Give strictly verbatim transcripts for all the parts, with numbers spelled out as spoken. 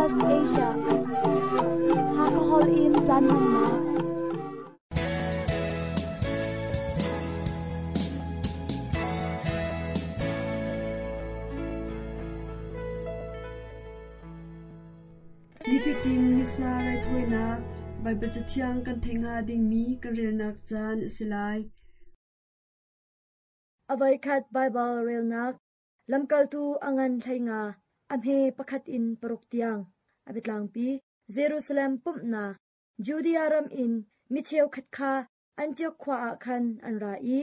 S B S Asia. Hakahol in caan hmannak. Nifatin Missa raithawinak Baibal Cathiang kan theih hnga dingmi kan relnak caan a si lai. A voikhat Baibal relnak lamkaltu a ngan hlei nga a hme pakhat in paruk tiang a biatlangpi Jerusalem pumhnak Judea ram in mi cheukhat kha Antioch khua ah khan an ra i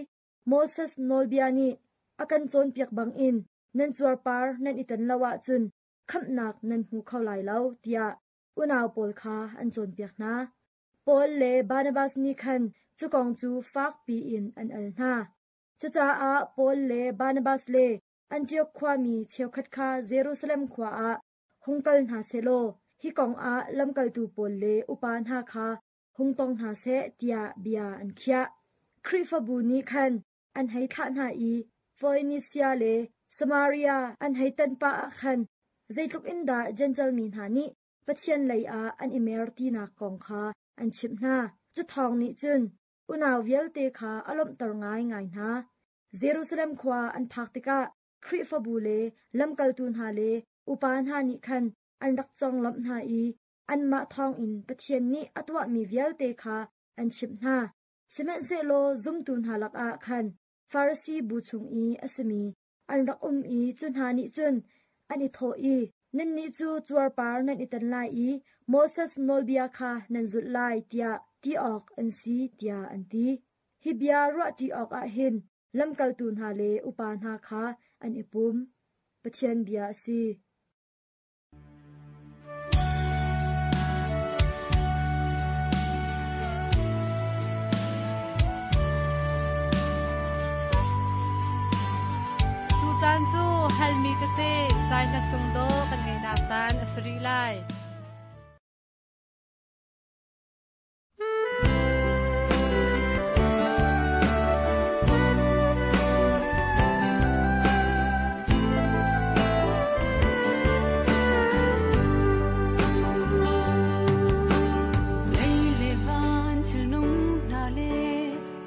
Moses nawlbia nih a kan cawnpiak bangin nan cuarpar nan i tan lo ahcun khamhnak nan hmu kho lai lo tiah unau pawl kha an cawnpiak hna. Paul le Barnabas nih khan cu kong cu fak piin an al hna. Cucaah Paul le Barnabas le Antioch khuami cheukhat kha Jerusalem khua ah hung kal hna sehlaw hi kong ah lamkaltu pawl le upa hna kha hung tong hna seh tiah bia an khiah. Khrihfabu nih khan an hei thlah hna i Foenisia le Samaria an hei tan pah ah khan zeitluk in dah Jentail mi hna nih Pathian lei ah an i mer tinak kong kha an chimh hna. Cu thawng nih cun unau vialte kha a lawmhter ngaingai hna. Jerusalem khua an phak tikah Khrihfabu le lamkaltu hna le upa hna nih khan an rak conglawmh hna i anmah thawngin Pathian nih a tuahmi vialte kha an chimh hna. Sihmanhsehlaw zumtu hna lakah khan Farasi bu chung i a simi an rak um i cu hna nih cun an i thawh i, nannih cu cuarpar nan i tan lai i Moses nawlbia kha nan zulh lai tiah ti awk an si tiah an ti. Hi bia ruahṭi awkah hin lamkaltu hna le upa hna kha an i pum. Pathian bia a si. Tucaan cu halmi tete zai hla sung dawh kan ngeihnak caan a si rih lai. Lei le van thil nung hna le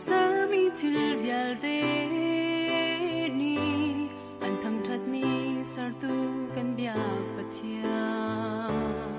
sermi thil vialte nih an thangṭhatmi sertu kan biak Pathian.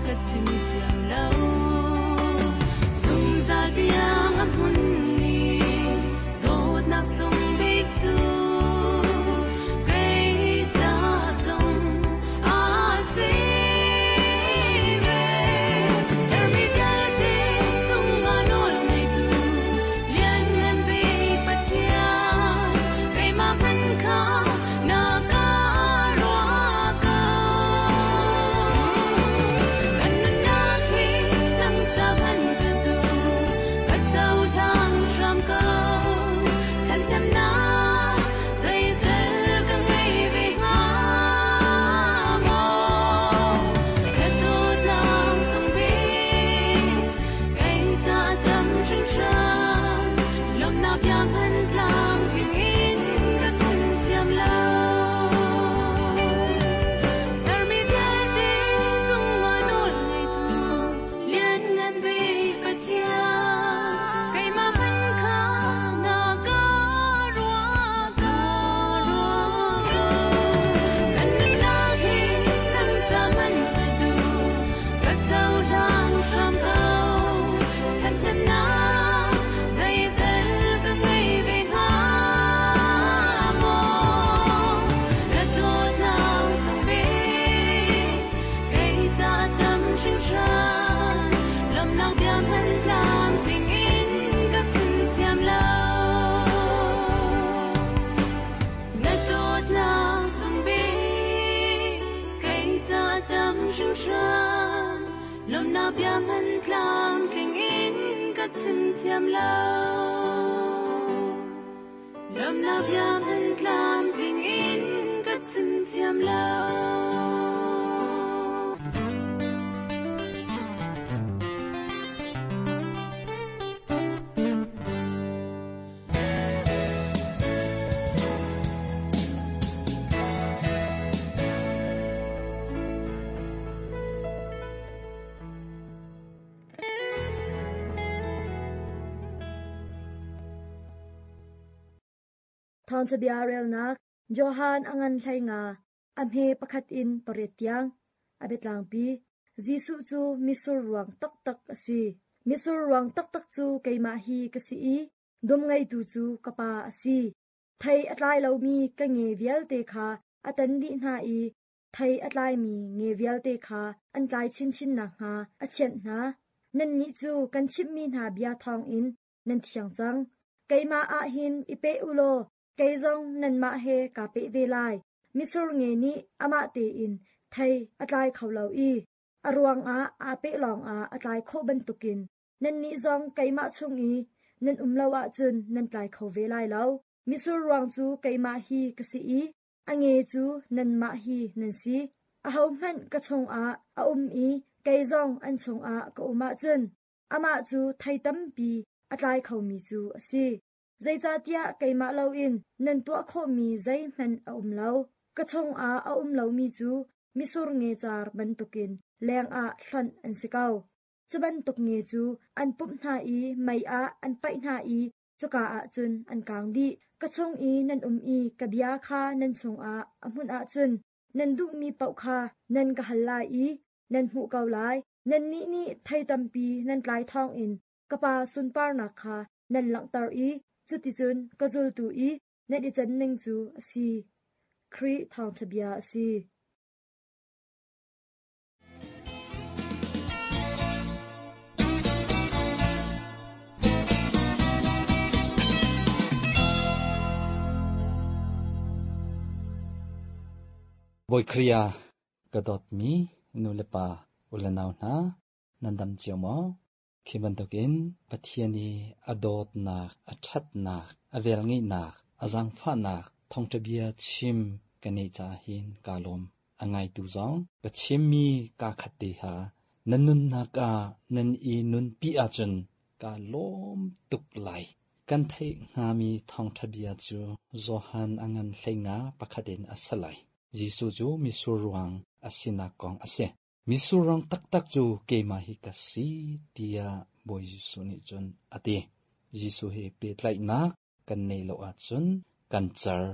ka chim thiam lo zungzal tiang a hmun ni dawtnak sung bik cu kei ca zong a si ve sermi vialte cungah nawl ngeitu lianngan bik Pathian keimah hmanh kha na ka ruah ko kan nunnak hi nang ca hman ka duh ka cohlang hram ko ṭhathnemnak zeitel ka ngei ve hnga maw ka dawtnak sung bik kei ca tam hringhran lawmhnak bia hman tlamtling in ka chim thiam lo sermi vialte cungah nawl ngeitu lianngan bik Pathian keimah hmanh kha na ka ruah ko kan nunnak hi nang ca hman ka duh ka cohlang hram ko ṭhathnemnak zeitel ka ngei ve hnga maw ka dawtnak sung bik kei ca tam hringhran lawmhnak bia hman tlamtling in ka chim thiam lo na dawtnak sung bik kei ca tam hringhran lawmhnak bia hman tlamtling in ka chim thiam lo lawmhnak bia hman tlamtling in ka chim thiam lo. Thawngṭha relnak Johan a ngan hlei nga a hme pakhat in pariat tiang a biatlangpi Jesuh cu misur ruang taktak a si. Misur ruang taktak cu keimah hi ka si i dum ngeitu cu ka pa a si. Thei a tlai lomi ka nge vialte kha a tan dih hna i thei a tlaimi nge vialte kha an tlai chinchin nakhnga a thianh hna. Nannih cu kan chimhmi hna bia thawngin nan thiang cang. Keimah ah hin i peh u law kei zong nanmah he kaa peh ve lai. Misur nge nih amah tein thei a tlai kho lo i a ruangah aa peh lawngah a tlai khawh bantukin nannih zong keimah chung i nan um lo ahcun nan tlai kho ve lai lo. Misur ruang cu keimah hi ka si i a nge cu nanmah hi nan si. Ahohmanh ka chungah a um i kei zong an chungah ka um ahcun amah cu thei tampi a tlai khomi cu a si. Zeicahtiah keimah loin nan tuah khawhmi zeihmanh a um lo. Ka chungah a um lomi cu misur nge car bantukin lengah hlonh an si ko. Cu bantuk nge cu an pumh hna i mei ah an paih hna i cuka ah cun an kaang dih. Ka chung i nan um i ka bia kha nan chungah a hmunh ahcun nan duhmi paoh kha nan ka hal lai i nan hmuh ko lai. Nannih nih thei tampi nan tlai thawngin ka Pa sunparnak kha nan langhter i cuticun ka zultu i nan i can ning cu a si. Khrih thawngṭha bia a si. Bawi Khriya ka dawtmi nu le pa u le nau hna nan dam cio maw? Khi bantukin Pathian i a dawtnak, a ṭhatnak, a velngeihnak, a zaangfahnak thawngṭha bia chim ka neih caah hin kaa lawm. A ngaitu zong ka chimmi kaa khat te ha nan nunnak ah nan i nunpi ahcun kaa lawm tuk lai. Kan theih hngami thawngṭha bia cu Johan a ngan hlei nga pakhat in a si lai. Jesuh cu misur ruang a sinak kong a si. Misur ruang taktak cu keimah hi ka si tiah Bawi Jesuh nih cun a ti. Jesuh he pehtlaihnak kan nei lo ahcun kan car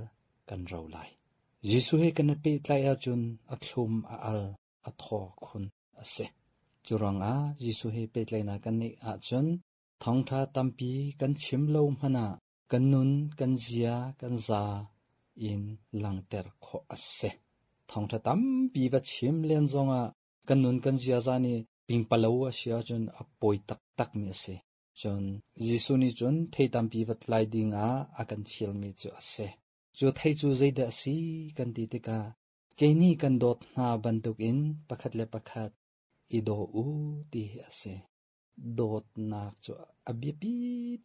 kan ro lai. Jesuh he kan i pehtlaih ahcun a thlum a al a thaw khun a si. Churanga Jesu he petlaina kan nei a chun thongtha tampi kan chim lo hmana kan nun kan zia kan za in langter kho ase thongtha tampi va chim len zonga kan nun kan zia za ni ping palo a sia chun a poi tak tak mi ase chun Jesu ni chun thei tampi va tlai dinga akan thil mi chu ase chu thei chu zeida si kan ti tika keini kan dot na bantuk in pakhat le pakhat i do u ti ase dot nak chu abiapi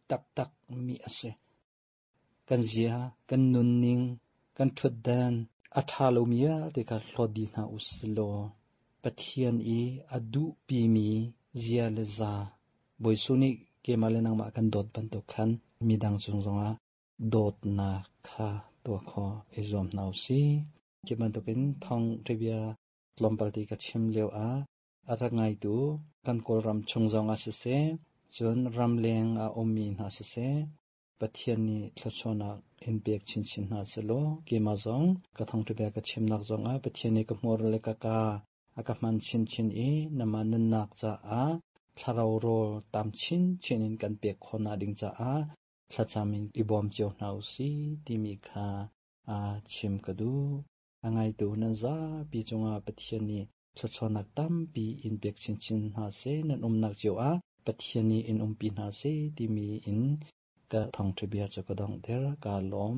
tak tak mi ase kan zia kan nun ning kan thut dan a tha lo mi te ka hlodi na uslo Pathian i adu pi mi zia le za boisuni ke male nang ma kan dot ban to khan mi dang chung zonga dot na kha to kho e zom nau si ke man to pin thong tribia tlompal ti ka chim leo a arak ngai tu kan kol ram chung zonga se se chun ram leng a omi na se se Pathian ni thlachona in pek chin chin na selo ke ma zong ka thong tribia ka chim nak zong a Pathian ni ka hmor le ka ka aka man chin chin e nama nan nak cha a thlarau ro tam chin chin in kan pek khona ding cha a thlachamin ibom cheu nau si timi kha a chim kadu angai tu nan za pi chunga Pathian ni thlachonak tam pi in pek chin chin na se nan um nak cheu a Pathian ni in um pi na se timi in ka thong thibia cha ka dong der ka lom.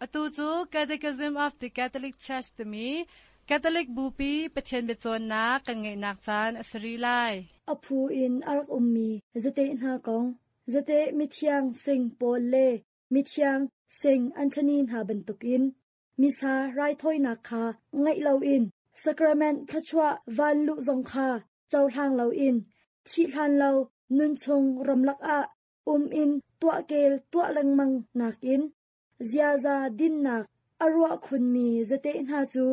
Atu chu Catechism of the Catholic Church to me Catholic bupi Pathian biacawn nak kan ngeih nak caan a sari lai. Aphu in arak ummi zate hna kong zate mithiang Sing Paul le mithiang Sing Anthony hna bantukin misa raithawinak kha ngaih lo in sacrament thluachuah van lu zong kha cohlang lo in thi hlan lo nun chung ramlak ah um in tuah kel tuah lengmang nakin ziaza dinnak arwa khun mi zate hna chu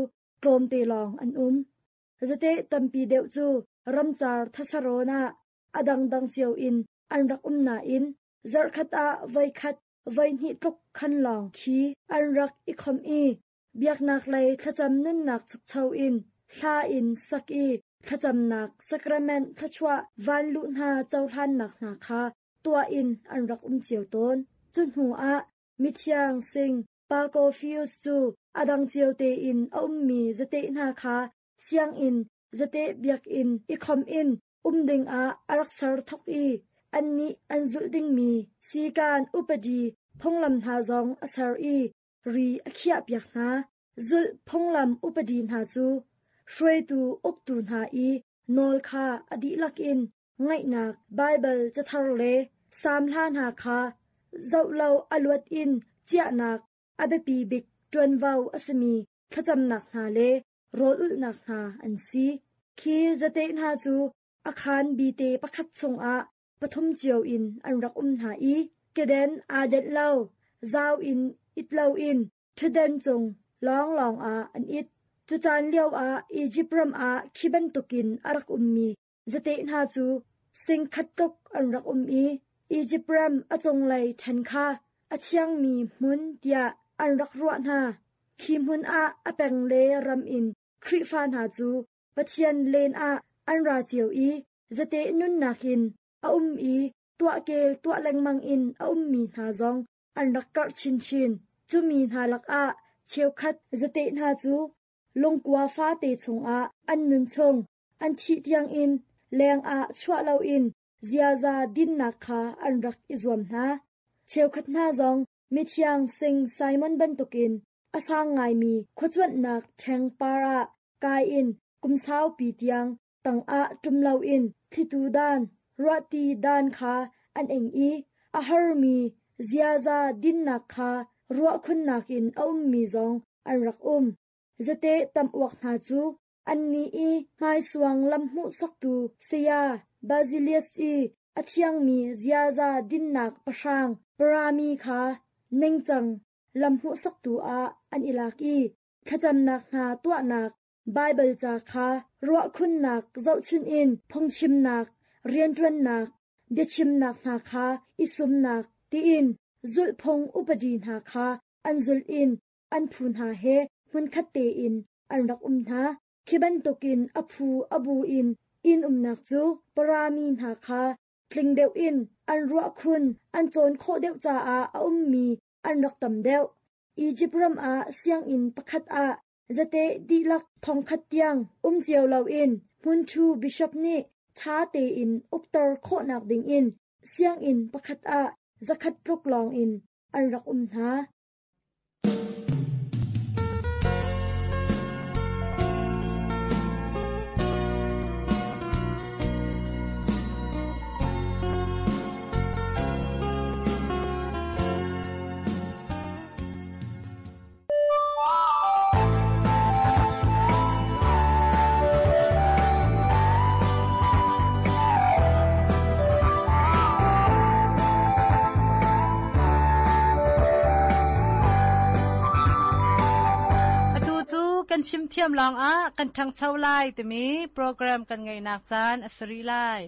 tlawm te long an um zate tampi deuh chu ramchar thasarona adang dang chiao in an rak um na in zarkhat a vai khat vai hni tluk khan long khi an rak i khom i biaknak lei thlacham nun nak chuk chau in hla in sak i thlacham nak sacrament thachwa van lu hna chauhlan nak hna kha tua in an rak um chiao ton chu hnu a mithiang Sing Pacofius chu adang chiao te in a ummi zate hna kha siang in zate biak in i khom in umding a arak sar thok i an ni an zul ding mi sikan upadi phonglam hna zong a sar i ri a khia piak hna zul phonglam upadi hna chu hruaitu uktu hna i nawl kha adi lak in ngaihnak Bible chathar le sam hla hna kha zau lo aluat in chiahnak abiapi bik tuanvo asimi thlacamnak hna le rawl ulhnak hna an si khi zate hna chu akhan bi te pakhat chungah pathum chiao in an rak um hna i keden aa det lo zau in it lo in thuden chung long long a an it chu chan lio a Egypt ram a khi bantukin arak ummi zate hna chu sing khat tuk an rak um i Egypt ram achung lei then kha achiang mi hmun tia an rak ruah hna khi hmun a apeng le ram in Khrifa hna chu Pathian len a an ra chiao i zate nun nakin a um i tua kel tua lengmang in a um mi hna zong an rak kar chin chin chu mi hna lak a cheu khat zate hna chu lungkua fa te chung a an nun chung an thi tiang in leng a chua lo in ziaza din nak kha an rak i zuam hna cheu khat hna zong mithiang Sing Simon bantukin asang ngai mi khuachuan nak theng para kai in kumsau pi tiang tang a tum lo in thitu dan ruati dan kha an eng i a har mi ziaza din nak kha ruah khun nak in a um mi zong an rak um Zate tam uak hna cu anni i hmaisuang lam hmuhsaktu saya Basilius i a thiangmi ziaza dinnak pahrang parami kha ningcang lam hmuhsaktu ah an i lak i thlacamnak hna tuahnak Baibal ca kha ruahkhunnak zohchun in phungchimnak, rianṭuannak, biachimnak hna kha i sumnak tiin zulhphung upadi hna kha an zulh in an phu hna he hmunkhat tein an rak um hna. Khi bantukin a phu a bu in inn umnak cu parami hna kha tling deuh in an ruahkhun an cawn khawh deuh caah a ummi an rak tam deuh. Egypt ram ah sianginn pakhat ah zate dihlak thongkhat tiang um cio loin hmunthu bishop nih ṭha tein ukter khawhnak dingin sianginn pakhat ah zakhat tluk lawngin an rak um hna. Kan fimthiam lawngah kan ṭhangcho lai timi program kan ngeihnak caan a si rih lai.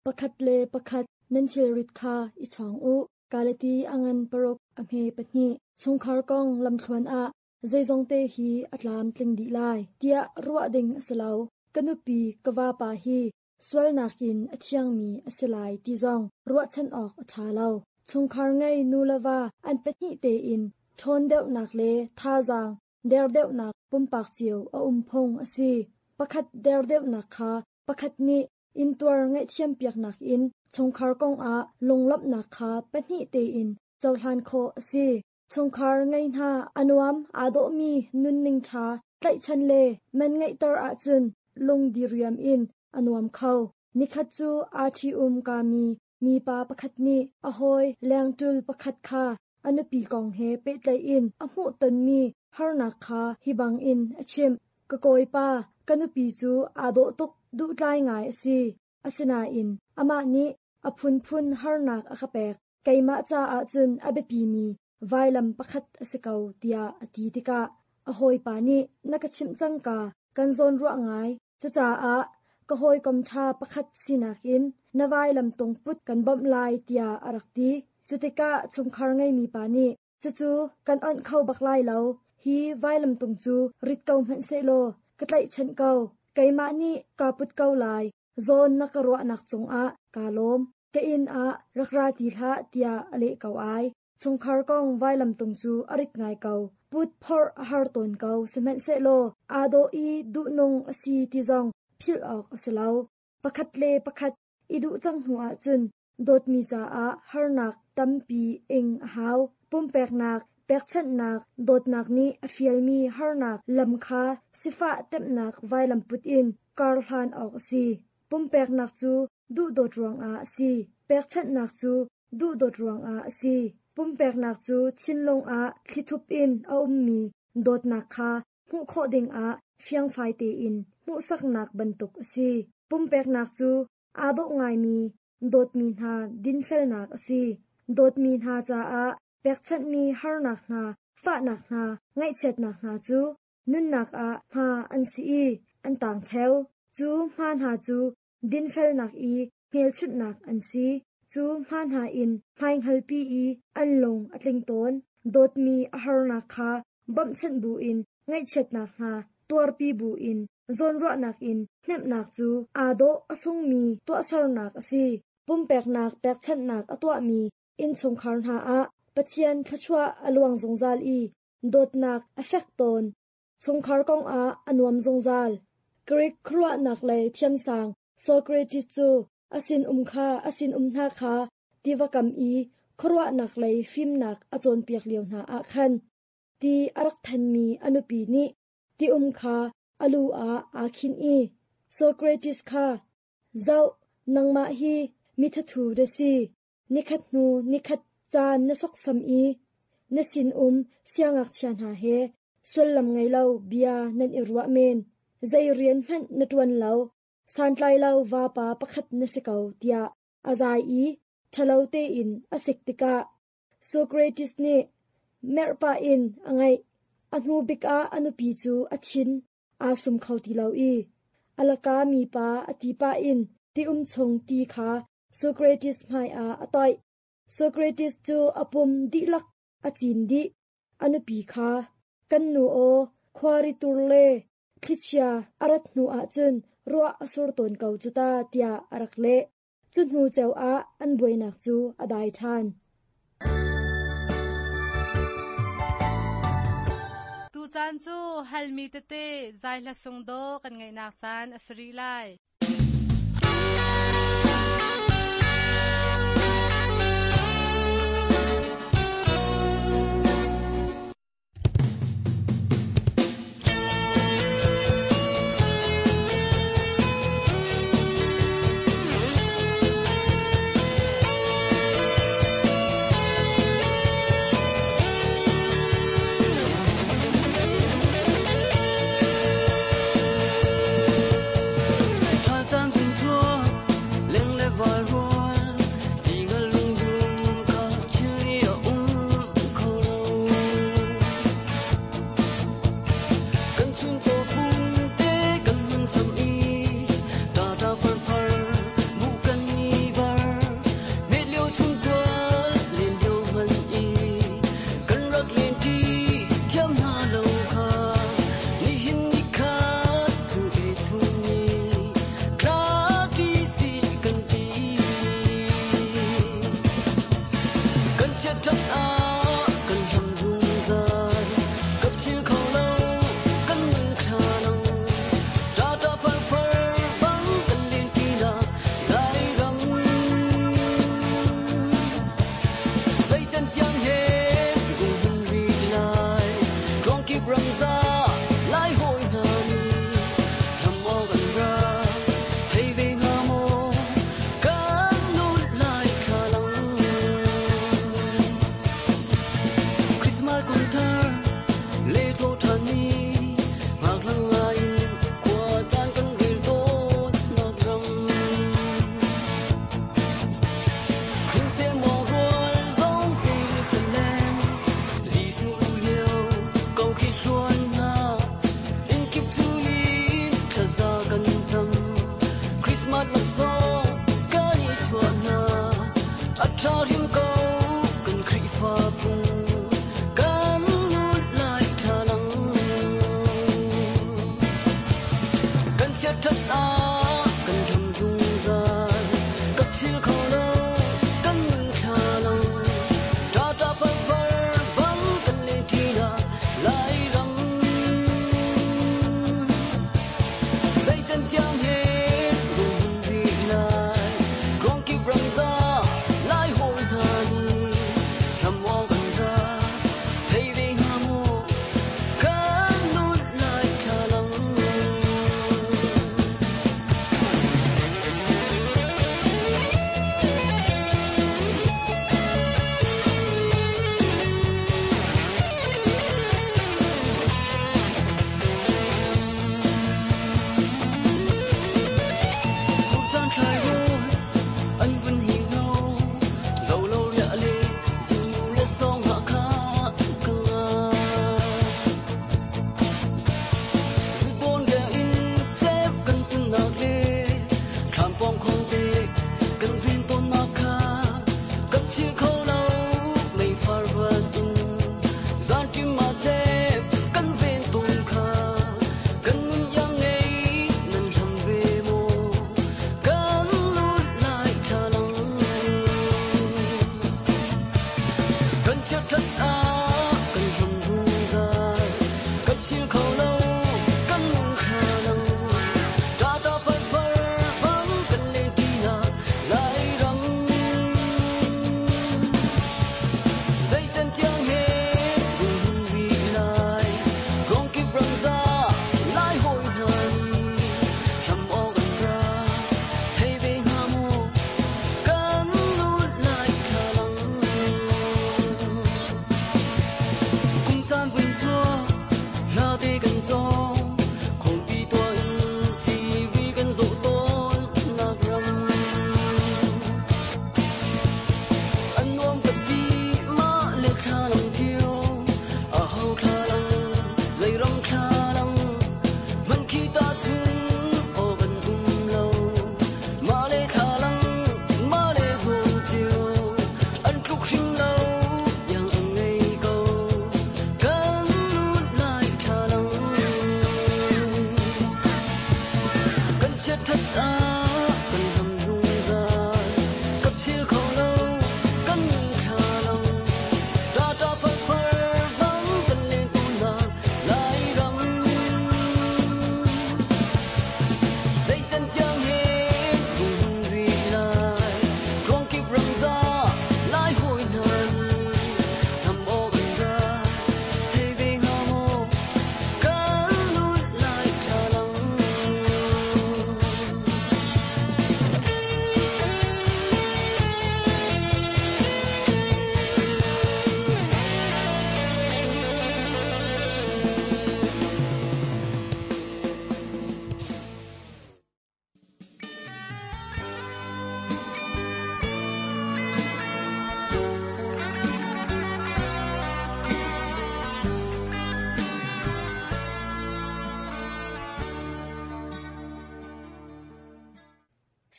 Pakhat le pakhat nan thilrit kha i chawng u. Galati a ngan paruk a hme pahnih. Chungkhar kong lamthluan ah zeizong te hi a tlam tling dih lai tiah ruah ding a si lo. Ka nupi ka vapa hi sualnak in a thiangmi a si lai ti zong ruahchan awk a ṭha lo. Chungkhar ngei nu le va an pahnih tein ṭhawn deuhnak le thazaang der deuhnak pumpak cio a um phung a si. Pakhat der deuhnak kha pakhat nih intuar ngaihthiam piaknak in chungkhar kong ah lunglawmhnak kha pahnih tein cohlan khawh a si. Chungkhar ngei hna a nuam aa dawhmi nunning ṭha tlaihchan le man ngeihter ahcun lungdiriam in a nuam kho. Nikhat cu aa ṭhi-um kami mipa pakhat nih a hawi lengṭul pakhat kha a nupi kong he pehtlaih in a hmuhtonmi harnak kha hi bangin a chimh. Ka kawipa, ka nupi cu aa dawh tuk duhtlai ngai a si. Asinain amah nih a phunphun harnak a ka pek. Keimah caah cun a biapimi vailam pakhat a si ko tiah a ti tikah a hawipa nih na ka chimh cangka kan zawn ruah ngai. Cucaah ka hawikom ṭha pakhat sinak in na vailam tung put kan bawmh lai tiah a rak ti. Cutikah chungkhar ngeimi pa nih cucu kan onh kho bak lai lo. Hi vailam tung cu rit ko hmanh sehlaw ka tlaihchanh ko. Keimah nih kaa put ko lai. Zawn na ka ruahnak cungah kaa lawm. Ka inn ah rak ra ti hlah tiah a leh ko ai. Chungkhar kong vailam tung cu a rit ngai ko. Put phorh a har tawn ko sihmanhsehlaw aa dawh i duhnung a si ti zong philh awk a si lo. Pakhat le pakhat i duh cang hnu ahcun dawtmi caah harnak tampi ing a hau. Pumpeknak, pekchanhnak, dawtnak nih a fialmi harnak lam kha sifah temhnak vailam put in kar hlan awk a si. Pumpeknak cu duhdawt ruangah a si. Pekchanhnak cu duhdawt ruangah a si. Pumpeknak cu thinlung ah thlithup in a ummi dawtnak kha hmuh khawh dingah fiangfai tein hmuhsaknak bantuk a si. Pumpeknak cu aa dawh ngaimi dawtmi hna dinfelnak a si. Dawtmi hna caah pekchanhmi harnak hna, fahnak hna, ngaihchiatnak hna cu nunnak ah hma an si i an tang ṭheo. Cu hma hna cu dinfelnak i hmelchunhnak an si. Cu hma hna in hmaihngalpi i an lung a tling tawn. Dawtmi a harnak kha bawmhchanh buin ngaihchiatnak hna tuarpi buin zawnruahnak in hnemhnak cu aa dawh a sungmi tuahsernak a si. Pumpeknak pekchanhnak a tuahmi innchungkhar hna ah Pathian thluachuah a luang zungzal i dawtnak a fek tawn. Chungkhar kong ah a nuam zungzal. Greek khuaruahnak lei thiamsang Socrates cu a sinum kha a sinum hna kha tiva kam i khuaruahnak lei fimnak a cawnpiak lio hna ah khan ti a rak thanmi a nupi nih ti um kha a lu ah aa khinh i Socrates kha zoh nangmah hi mithathu na si nikhat hnu nikhat caan na soksam i na sinum siangngakchia hna he Sullam ngei lo bia nan i ruah men. Zei rian hmanh na ṭuan lo. Santlai lo vapa pakhat na si ko tiah a zai i ṭhalo tein a sik tikah Socrates nih merhpah in a ngaih. A hnu bik ah a nupi cu a thin aa sum kho ti lo i a laka mipa a ti pah in ti-um chung ti kha Socrates hmaiah a toih. Socrates cu a pum dihlak a cin dih. A nupi kha, kan nu aw, khuari tur le thlichia a rat hnu ahcun ruah a sur tawn ko cu ta tiah a rak leh. Cu hnu ceu ah an buainak cu a dai ṭhan. Tu caan cu halmi tete zai hla sung do kan ngaihnak caan a si rih lai.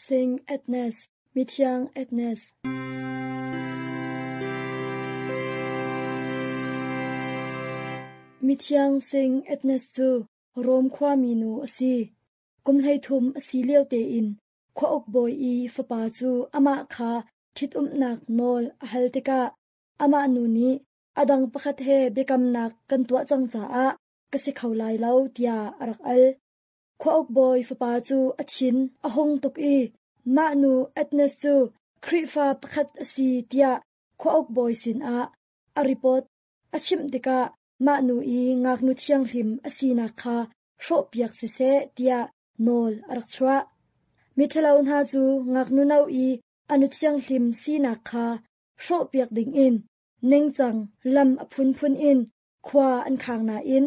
Sing Agnes, Mithiang Agnes. Mithiang Sing Agnes cu Rom khuami nu a si. Kum hleithum a si lio tein khuauk bawi i fapa cu amah kha ṭhitumnak nawl a hal tikah amah nu nih a dang pakhat he biakamnak kan tuah cang caah ka si kho lai lo tiah a rak al. Khuauk bawi fapa cu a thin a hung tuk i mah nu Agnes cu Khrihfa pakhat a si tiah khuauk bawi sinah a report a chimh tikah mah nu i ngaknu thianghlim a sinak kha hrawhpiak siseh tiah nawl a rak chuah. Miṭhalo hna cu ngaknu no i anu thianghlim sinak kha hrawhpiak dingin ningcang lam a phunphun in khua an khang nain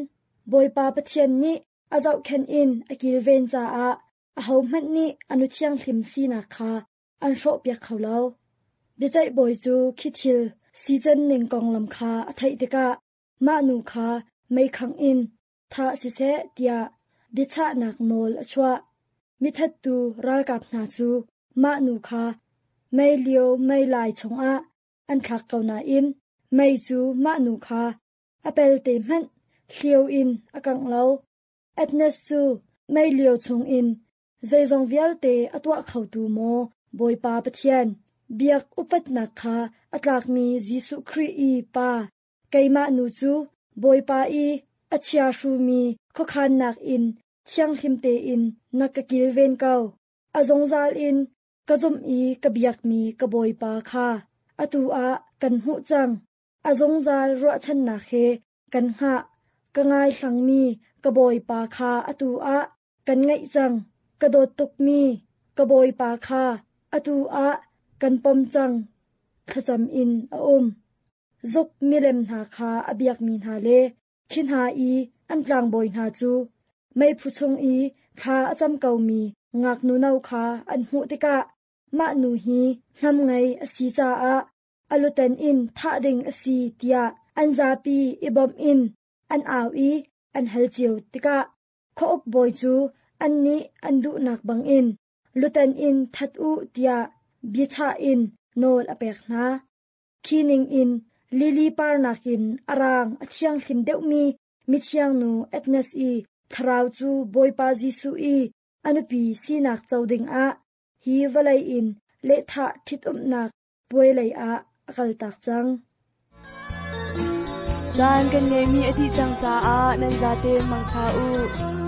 Bawipa Pathian nih a zohkhenh in a kilven caah ahohmanh nih anu thianghlim sinak kha an hrawhpiak kho lo. Biaceih bawi cu khi thil sican ning konglam kha a theih tikah mah nu kha meikhangh in thah siseh tiah biachahnak nawl a chuah. Mithattu ralkap hna cu mah nu kha mei lio mei lai chungah an thlak ko nain mei cu mah nu kha a pelte hmanh hliau in a kangh lo. Agnes cu mei lio chungin zeizong vialte a tuah khotu maw Bawipa Pathian, biak upatnak kha a tlakmi Jesuh Khrih i Pa, keimah nu cu Bawipa i a chiahrumi khuakhannak in thianghlim tein na ka kilven ko. A zungzal in ka zumh i ka biakmi ka Bawipa kha atu ah kan hmuh cang. A zungzal ruahchannak he kan hngah. Ka ngaihlangmi ka Bawipa kha atu ah kan ngaih cang. Ka dawt tukmi ka Bawipa kha atu ah kan pom cang. Thlacam in a um. Zuk milem hna kha a biakmi hna le khi hna i an tlangbawi hna cu meiphu chung i thla a cam komi ngaknu no kha an hmuh tikah mah nu hi hnam ngei a si caah a luten in thah ding a si tiah an zapi i bawmh in an au i an hal cio tikah khuauk bawi cu annih an duhnak bangin luten in that u tiah biachah in nawl a pek hna. Khi ningin lili parnak in a rang a thianghlim deuhmi mithiang nu Agnes i thlarau cu Bawipa Jesuh i a nupi sinak co dingah hi vawlei in lehthah ṭhitumnak puai lei ah a kaltak cang. Caan kan ngeimi a dih cang caah nan zaten mangṭha u.